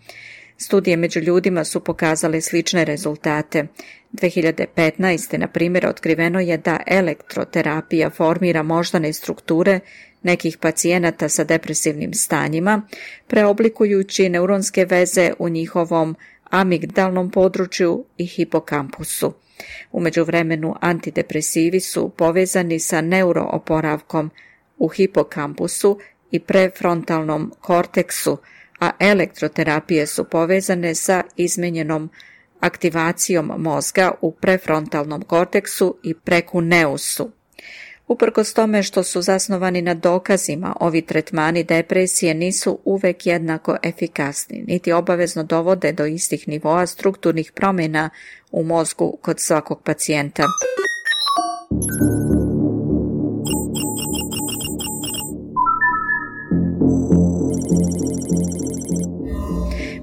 Studije među ljudima su pokazale slične rezultate. 2015. na primjer otkriveno je da elektroterapija formira moždane strukture nekih pacijenata sa depresivnim stanjima, preoblikujući neuronske veze u njihovom amigdalnom području i hipokampusu. U međuvremenu antidepresivi su povezani sa neurooporavkom u hipokampusu i prefrontalnom korteksu, a elektroterapije su povezane sa izmenjenom aktivacijom mozga u prefrontalnom korteksu i prekuneusu. Uprkos tome što su zasnovani na dokazima, ovi tretmani depresije nisu uvek jednako efikasni, niti obavezno dovode do istih nivoa strukturnih promjena u mozgu kod svakog pacijenta.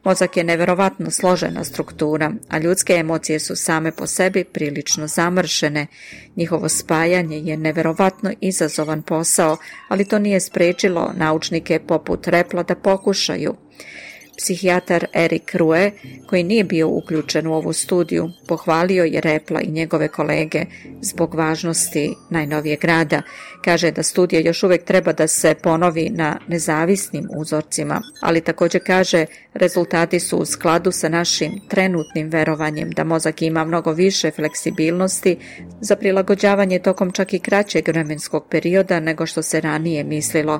Mozak je neverovatno složena struktura, a ljudske emocije su same po sebi prilično zamršene. Njihovo spajanje je neverovatno izazovan posao, ali to nije sprečilo naučnike poput Repla da pokušaju. Psihijatar Erik Rue, koji nije bio uključen u ovu studiju, pohvalio je Repla i njegove kolege zbog važnosti najnovijeg rada. Kaže da studija još uvijek treba da se ponovi na nezavisnim uzorcima, ali također kaže rezultati su u skladu sa našim trenutnim verovanjem da mozak ima mnogo više fleksibilnosti za prilagođavanje tokom čak i kraćeg vremenskog perioda nego što se ranije mislilo.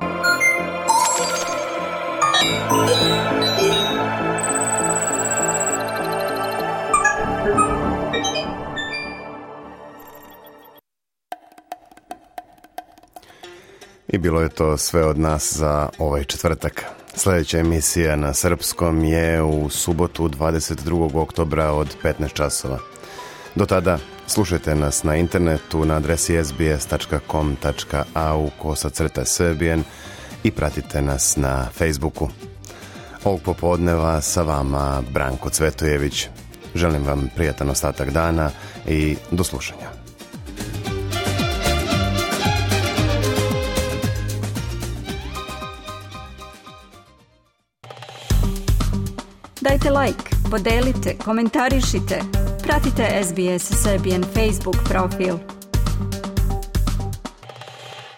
I bilo je to sve od nas za ovaj četvrtak. Sljedeća emisija na srpskom je u subotu 22. oktobra od 15 časova. Do tada slušajte nas na internetu na adresi sbs.com.au/Serbian i pratite nas na Facebooku. Ovog popodneva sa vama Branko Cvetojević. Želim vam prijatan ostatak dana i do slušanja. Dajte like, podelite, komentarišite. Pratite SBS Serbian Facebook profil.